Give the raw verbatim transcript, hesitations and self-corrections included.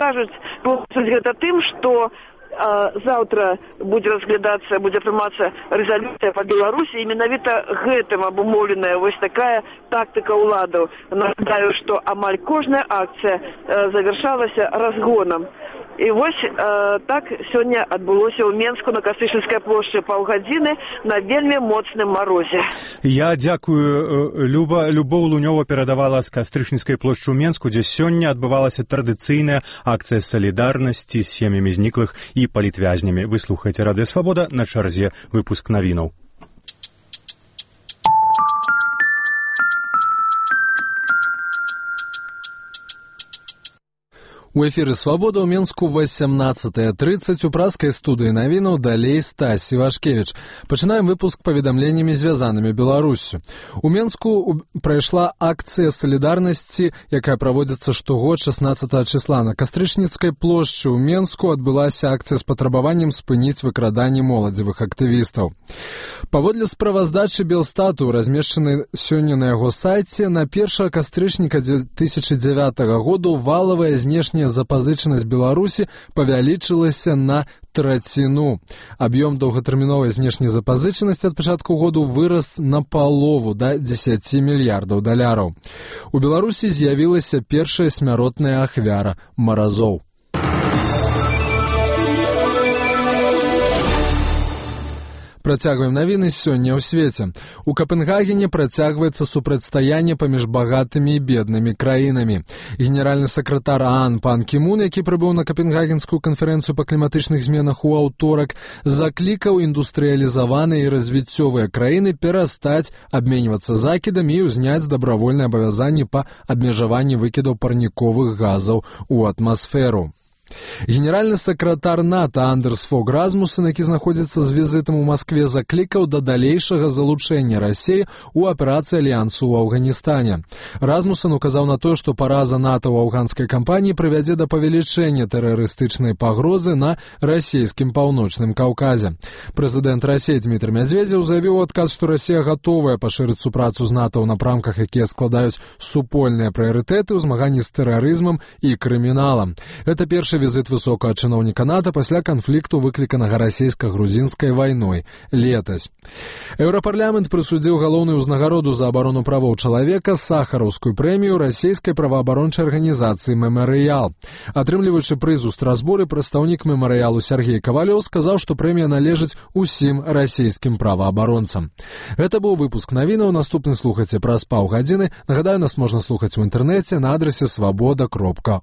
кажуць, гэта тым, што заўтра будзе разглядацца, будзе прымацца рэзалюцыя па Беларусі, і менавіта гэтым абумоўленая вось такая тактыка ўладаў. Нагадаю, што амаль кожная акцыя завяршалася разгонам. І вось э, так сёння адбылося ў Менску на Кастрычніцкай плошчы паўгадзіны на вельмі моцным марозе. Я дзякую, Люба. Любоў Лунёва перадавала з Кастрычніцкай плошчы ў Менску, дзе сёння адбывалася традыцыйная акцыя салідарнасці з сем'ямі зніклых і палітвязнямі. Вы слухаеце Радыё Свабода, на чарзе выпуск навінаў. У эфіры «Свабода» ў Менску восемнадцатая тридцать у праскай студыі навінаў далей Стась Івашкевіч. Пачынаем выпуск паведамленнямі, звязанымі Беларуссю. У Менску прайшла акцыя салідарнасці, якая праводзіцца штогод шаснаццатага числа. На Кастрычніцкай плошчы ў Менску адбылася акцыя з патрабаваннем спыніць выкраданне моладзевых актывістаў. Паводле справаздачы Белстату, размешчанай сёння на яго сайце, на першага кастрычніка две тысячи дзевятага году валавая знешняя запазычанасць Беларусі павялічылася на траціну. Аб'ём доўгатэрміновай знешняй запазычанасці ад пачатку году вырас на палову, да дзесяці мільярдаў даляраў. У Беларусі з'явілася першая смяротная ахвяра маразоў. Працягваем навіны сёння ў свеце. У Капенгагене працягваецца супрацьстаянне паміж багатымі і беднымі краінамі. Генеральны сакратар ААН пан Кімун, які прыбыў на Капенгагенскую канферэнцыю па кліматычных зменах у аўторак, заклікаў індустрыялізаваныя і развіццёвыя краіны перастаць абменьвацца закідамі і ўзняць дабравольныя абавязанні па абмежаванні выкідаў парніковых газаў у атмасферу. Генеральны сакратар НАТО Андерс Фог Расмуссен, які знаходзіцца з візітам у Маскве, заклікаў да далейшага залучэння Расіі ў аперацыі Альянсу ў Афганістане. Расмуссен указаў на тое, што параза НАТО ў афганскай кампаніі прывядзе да павелічэння тэрарыстычнай пагрозы на расійскім паўночным Каўказе. Прэзідэнт Расіі Дмітрый Медведзеў заявіў у адказ, што Расія гатовая пашырыць супрацу з НАТО ў напрамках, якія складаюць супольныя прыярытэты ў змаганні з тэрарызмам і крыміналам. Гэта першы візит высокага чыноўніка НАТО пасля канфлікту, выкліканага расійска-грузінскай вайной летась. Еўрапарламент прысудзіў галоўную ўзнагароду за абарону правоў чалавека, сахараўскую прэмію расійскай праваабарончай арганізацыі «Мемарыял». Атрымліваючы прыз у Страсбуры, прадстаўнік «Мемарыялу» Сергей Кавалёў сказаў, што прэмія належыць усім расійскім праваабаронцам. Гэта быў выпуск навінаў. Наступны слухайце праз паўгадзіны. Нагадаю, нас можна слухаць у інтэрнэце на адрасе свабода кропка